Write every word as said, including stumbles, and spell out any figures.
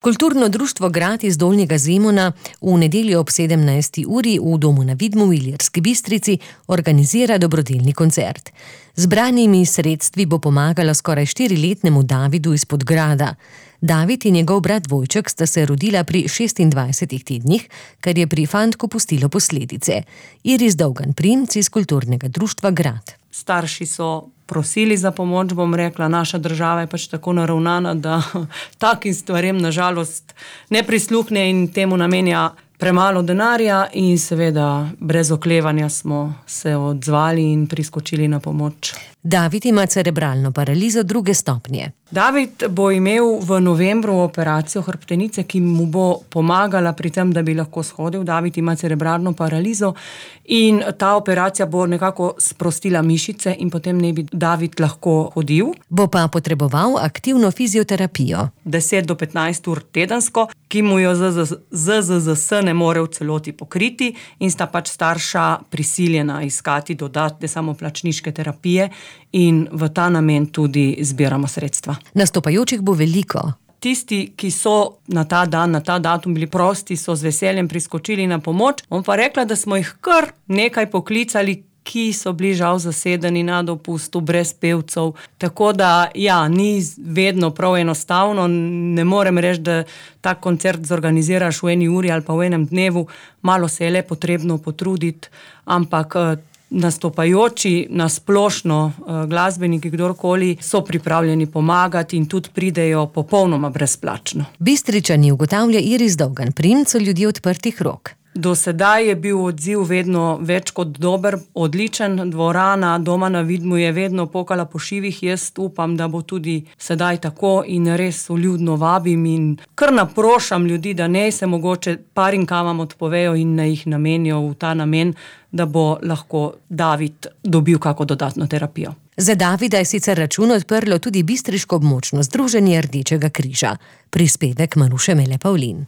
Kulturno društvo Grad iz Dolnjega Zemuna v nedeljo ob sedemnajsti uri v Domu na Vidmu v Ilirski Bistrici organizira dobrodelni koncert. Zbranimi sredstvi bo pomagala skoraj štiriletnemu Davidu iz Podgrada. David in njegov brat dvojček sta se rodila pri šestindvajsetih tednih, kar je pri fantku pustilo posledice. Iris Dolgan Primc iz kulturnega društva Grad. Starši so prosili za pomoč, bom rekla, naša država je pač tako naravnana, da takim stvarem nažalost ne prisluhne in temu namenja premalo denarja in seveda brez oklevanja smo se odzvali in priskočili na pomoč. David ima cerebralno paralizo druge stopnje. David bo imel v novembru operacijo hrbtenice, ki mu bo pomagala pri tem, da bi lahko shodil. David ima cerebralno paralizo in ta operacija bo nekako sprostila mišice in potem ne bi David lahko hodil. Bo pa potreboval aktivno fizioterapijo. deset do petnajst ur tedensko, ki mu jo Z Z Z S ne more v celoti pokriti in sta pač starša prisiljena iskati dodatne samoplačniške terapije in v ta namen tudi zbiramo sredstva. Nastopajočih bo veliko. Tisti, ki so na ta dan, na ta datum bili prosti, so z veseljem priskočili na pomoč. On pa rekla, da smo jih kar nekaj poklicali, ki so bili žal zasedeni na dopustu, brez pevcev. Tako da, ja, ni vedno prav enostavno. Ne morem reči, da ta koncert zorganiziraš v eni uri ali pa v enem dnevu. Malo se je le potrebno potruditi, ampak nastopajoči, nasplošno glasbeniki, kdorkoli, so pripravljeni pomagati in tudi pridejo popolnoma brezplačno. Bistričani, ugotavlja Iris Dolgan Primc, so ljudje odprtih rok. Do sedaj je bil odziv vedno več kot dober, odličen. Dvorana Doma na Vidmu je vedno pokala po šivih. Jaz upam, da bo tudi sedaj tako in res vljudno vabim in kar naprošam ljudi, da ne se mogoče parim kavam odpovejo in ne jih namenijo v ta namen, da bo lahko David dobil kako dodatno terapijo. Za Davida je sicer račun odprlo tudi bistriško območno združenje Rdečega križa. Prispevek Maruše Mele Pavlin.